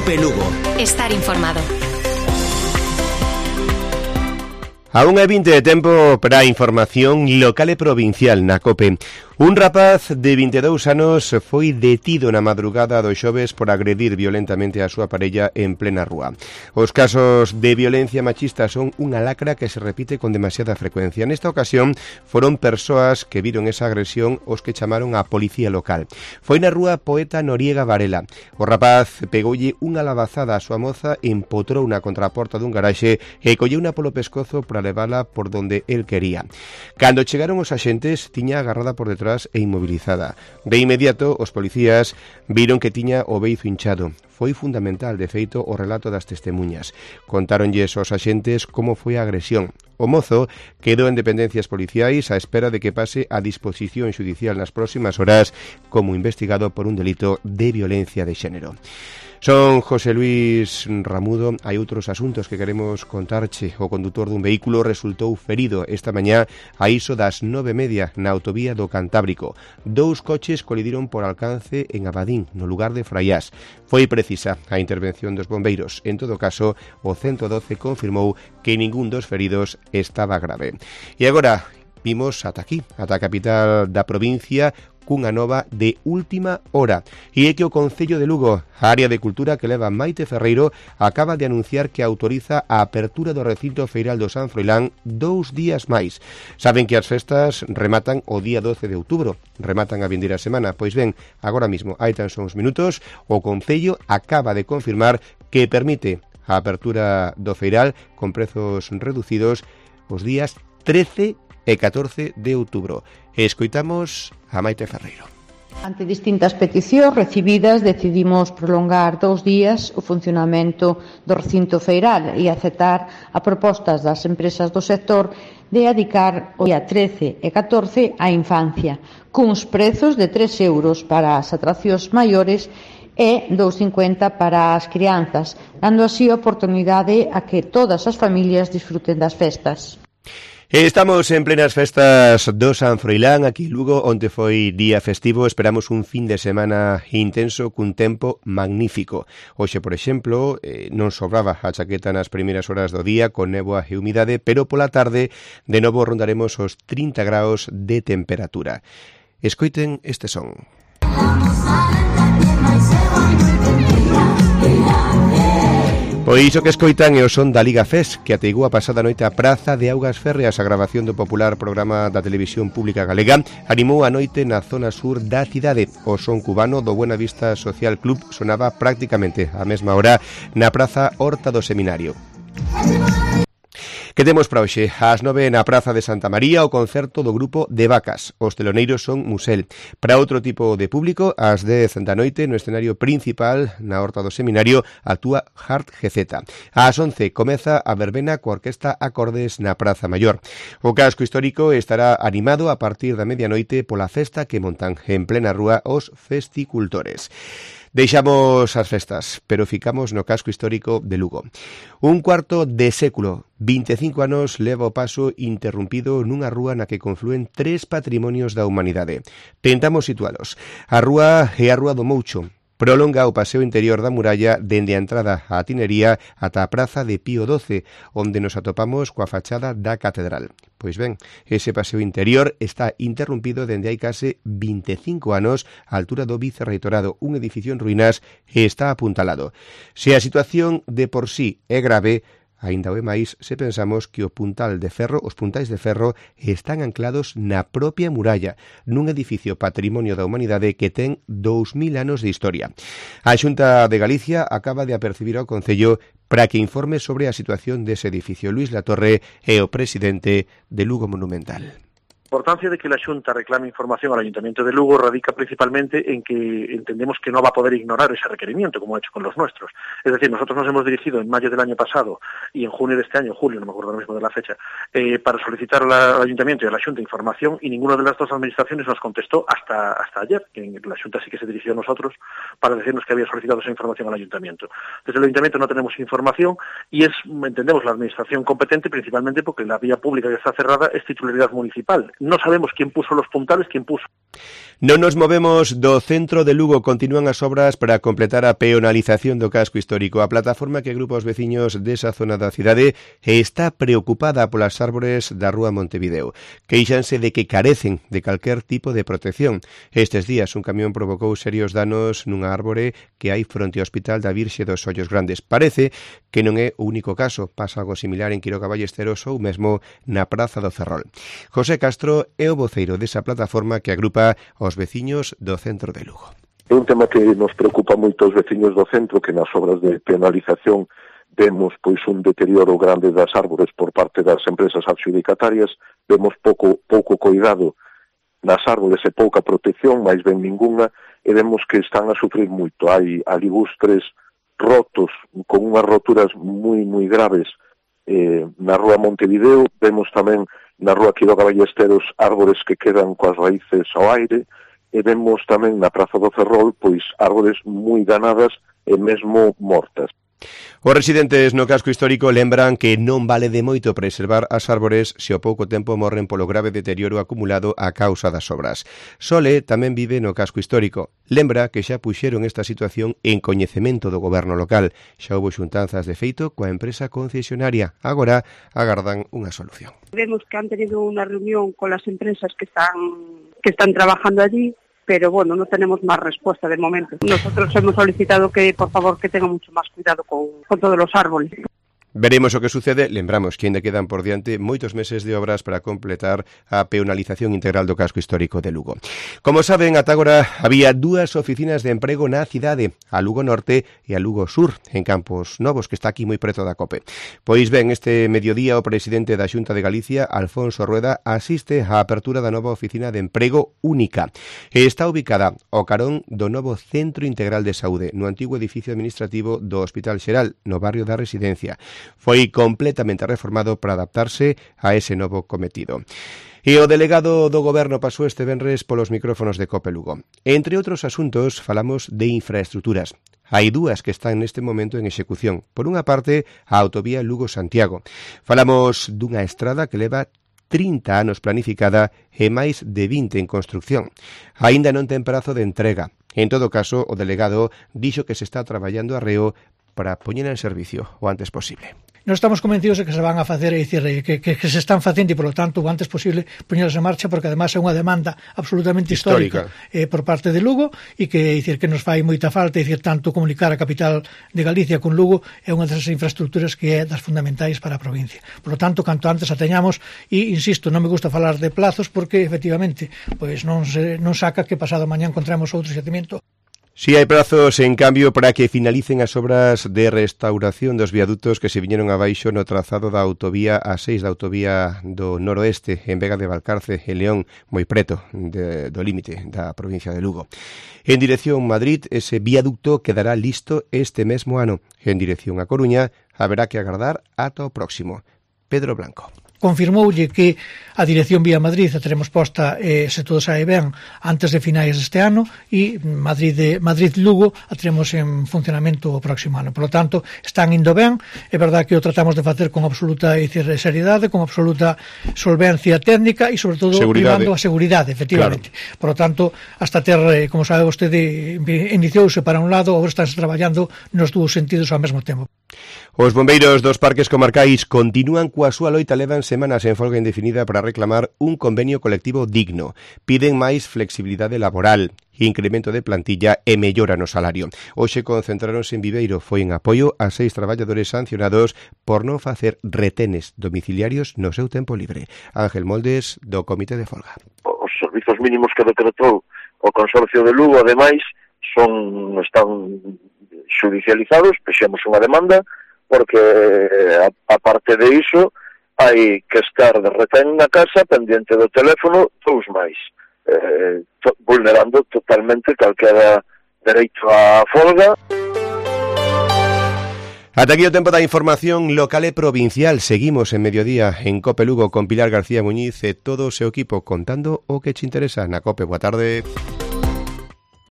COPE Lugo. Estar informado. A 1:20 de tempo para a información local e provincial na COPE. Un rapaz de 22 anos foi detido na madrugada do xoves por agredir violentamente a súa parella en plena rúa. Os casos de violencia machista son unha lacra que se repite con demasiada frecuencia. Nesta ocasión foron persoas que viron esa agresión os que chamaron a policía local. Foi na rúa Poeta Noriega Varela. O rapaz pegoulle unha labazada á súa moza, empotrouna contra a porta dun garaxe e colleuna polo pescozo para levala por donde el quería. Cando chegaron os axentes, tiña agarrada por detrás e inmobilizada. De inmediato, os policías viron que tiña o beizo hinchado. Foi fundamental, de feito, o relato das testemunhas. Contáronlles aos axentes como foi a agresión. O mozo quedou en dependencias policiais á espera de que pase a disposición xudicial nas próximas horas como investigado por un delito de violencia de xénero. Son José Luis Ramudo. Hai outros asuntos que queremos contarche. O condutor dun vehículo resultou ferido esta mañá a iso das 9:30 na autovía do Cantábrico. 2 coches colidiron por alcance en Abadín, no lugar de Fraiás. Foi precisa a intervención dos bombeiros. En todo caso, o 112 confirmou que ningún dos feridos estaba grave. E agora vimos ata aquí, ata a capital da provincia, cunha nova de última hora. E é que o Concello de Lugo, a área de cultura que leva Maite Ferreiro, acaba de anunciar que autoriza a apertura do recinto feiral do San Froilán 2 días máis. Saben que as festas rematan o día 12 de outubro, rematan a vindeira semana. Pois ben, agora mismo, hai tan só uns minutos, o Concello acaba de confirmar que permite a apertura do feiral con prezos reducidos os días 13 e 14 de outubro. Escoitamos a Maite Ferreiro. Ante distintas peticións recibidas, decidimos prolongar 2 días o funcionamento do recinto feiral e aceptar a propostas das empresas do sector de adicar o día 13 e 14 á infancia, cuns prezos de 3 euros para as atraccións maiores e 2,50 para as crianzas, dando así a oportunidade a que todas as familias disfruten das festas. Estamos en plenas festas do San Froilán, aquí en Lugo, onde foi día festivo. Esperamos un fin de semana intenso cun tempo magnífico. Hoxe, por exemplo, non sobraba a chaqueta nas primeiras horas do día con néboa e humidade, pero pola tarde de novo rondaremos os 30 graus de temperatura. Escoiten este son. Pois iso que escoitan é o son da Liga FES, que ateigou a pasada noite a Praza de Augas Férreas. A grabación do popular programa da Televisión Pública Galega animou a noite na zona sur da cidade. O son cubano do Buena Vista Social Club sonaba prácticamente á mesma hora na Praza Horta do Seminario. Que temos para hoxe? Ás 9 na Praza de Santa María o concerto do grupo de Vacas. Os teloneiros son Musel. Para outro tipo de público, ás 10 da noite no escenario principal na Horta do Seminario actúa Hart GZ. Ás 11 comeza a verbena coa orquesta Acordes na Praza Maior. O casco histórico estará animado a partir da medianoite pola festa que montan en plena rúa os festicultores. Deixamos as festas, pero ficamos no casco histórico de Lugo. Un cuarto de século, 25 anos, leva o paso interrumpido nunha rúa na que conflúen 3 patrimonios da humanidade. Tentamos situalos. A rúa é a Rúa do Moucho. Prolonga o paseo interior da muralla dende a entrada á Tinería ata a Praza de Pío XII, onde nos atopamos coa fachada da Catedral. Pois ben, ese paseo interior está interrumpido dende hai case 25 anos á altura do Vicerreitorado, un edificio en ruínas e está apuntalado. Se a situación de por sí é grave, aínda o é máis se pensamos que os puntais de ferro están anclados na propia muralla, nun edificio patrimonio da humanidade que ten 2000 anos de historia. A Xunta de Galicia acaba de apercibir ao Concello para que informe sobre a situación dese edificio. Luís Latorre é o presidente de Lugo Monumental. La importancia de que la Xunta reclame información al Ayuntamiento de Lugo radica principalmente en que entendemos que no va a poder ignorar ese requerimiento, como ha hecho con los nuestros. Es decir, nosotros nos hemos dirigido en mayo del año pasado y en junio de este año, julio, no me acuerdo ahora mismo de la fecha, para solicitar al Ayuntamiento y a la Xunta información, y ninguna de las dos administraciones nos contestó hasta ayer, que la Xunta sí que se dirigió a nosotros para decirnos que había solicitado esa información al Ayuntamiento. Desde el Ayuntamiento no tenemos información y entendemos, la administración competente principalmente porque la vía pública que está cerrada es titularidad municipal. No sabemos quién puso los puntales, quién puso. Non nos movemos do centro de Lugo. Continúan as obras para completar a peonalización do casco histórico. A plataforma que agrupa os veciños desa zona da cidade está preocupada polas árbores da Rúa Montevideo. Queixanse de que carecen de calquer tipo de protección. Estes días un camión provocou serios danos nunha árbore que hai fronte ao Hospital da Virxe dos Ollos Grandes. Parece que non é o único caso. Pasa algo similar en Quiroga Ballesteros ou mesmo na Praza do Ferrol. José Castro é o voceiro desa plataforma que agrupa os veciños do centro de Lugo. É un tema que nos preocupa moito aos veciños do centro, que nas obras de penalización vemos pois un deterioro grande das árbores por parte das empresas adxudicatarias, vemos pouco cuidado nas árbores e pouca protección, máis ben ninguna, e vemos que están a sufrir moito. Hai aligustres rotos, con unhas roturas moi graves na Rúa Montevideo, vemos tamén na Rúa Quiroga Ballesteros árbores que quedan coas raíces ao aire, e vemos tamén na Praza do Ferrol pois árbores moi danadas e mesmo mortas. Os residentes no casco histórico lembran que non vale de moito preservar as árbores se ao pouco tempo morren polo grave deterioro acumulado a causa das obras. Sole tamén vive no casco histórico. Lembra que xa puxeron esta situación en coñecemento do goberno local. Xa houbo xuntanzas de feito coa empresa concesionaria. Agora agardan unha solución. Vemos que han tenido unha reunión con las empresas que están trabajando allí, pero bueno, no tenemos más respuesta de momento. Nosotros hemos solicitado que, por favor, que tengan mucho más cuidado con todos los árboles. Veremos o que sucede. Lembramos que ainda quedan por diante moitos meses de obras para completar a peonalización integral do casco histórico de Lugo. Como saben, ata agora había 2 oficinas de emprego na cidade, a Lugo Norte e a Lugo Sur, en Campos Novos, que está aquí moi preto da COPE. Pois ben, este mediodía o presidente da Xunta de Galicia, Alfonso Rueda, asiste á apertura da nova oficina de emprego única. Está ubicada ao carón do novo Centro Integral de Saúde, no antigo edificio administrativo do Hospital Xeral, no barrio da Residencia. Foi completamente reformado para adaptarse a ese novo cometido. E o delegado do Goberno pasou este venres polos micrófonos de COPE Lugo. Entre outros asuntos, falamos de infraestructuras. Hai 2 que están neste momento en execución. Por unha parte, a autovía Lugo-Santiago. Falamos dunha estrada que leva 30 anos planificada e máis de 20 en construcción. Aínda non ten prazo de entrega. En todo caso, o delegado dixo que se está traballando arreo para poñer en servicio o antes posible. Nós estamos convencidos de que se van a facer, é dicir, que se están facendo e, polo tanto, o antes posible poñelas en marcha, porque además é unha demanda absolutamente histórica por parte de Lugo e que, é dicir, que nos fai moita falta, é dicir, tanto comunicar a capital de Galicia con Lugo é unha das infraestructuras que é das fundamentais para a provincia. Por lo tanto, canto antes a teñamos, e, insisto, non me gusta falar de plazos porque, efectivamente, pois non saca que pasado mañá encontremos outro xacemento. Si hai prazos, en cambio, para que finalicen as obras de restauración dos viadutos que se viñeron abaixo no trazado da autovía A6 da autovía do noroeste en Vega de Valcarce e León, moi preto do límite da provincia de Lugo. En dirección Madrid, ese viaducto quedará listo este mesmo ano. En dirección a Coruña, haberá que agardar ata o próximo. Pedro Blanco. Confirmoulle que a dirección vía Madrid a teremos posta, se todo sae ben, antes de finais deste ano, e Madrid-Lugo a teremos en funcionamento o próximo ano. Por lo tanto, están indo ben. É verdad que o tratamos de facer con absoluta seriedade, con absoluta solvencia técnica e, sobre todo, primando a seguridade, efectivamente. Claro. Por lo tanto, hasta ter, como sabe vostede, iniciouse para un lado, agora estánse traballando nos 2 sentidos ao mesmo tempo. Os bombeiros dos parques comarcais continúan coa súa loita, levan semanas en folga indefinida para reclamar un convenio colectivo digno. Piden máis flexibilidade laboral, incremento de plantilla e mellora no salario. Hoxe concentráronse en Viveiro, foi en apoio a 6 traballadores sancionados por non facer retenes domiciliarios no seu tempo libre. Ángel Moldes, do Comité de Folga. Os servizos mínimos que decretou o Consorcio de Lugo, ademais, están judicializados, pexemos unha demanda, porque, aparte de iso, hai que estar de retén na casa, pendiente do teléfono, 2 máis, vulnerando totalmente calquera dereito á folga. Ata aquí o tempo da información local e provincial. Seguimos en Mediodía en COPE Lugo con Pilar García Muñiz e todo o seu equipo contando o que te interesa na COPE. Boa tarde.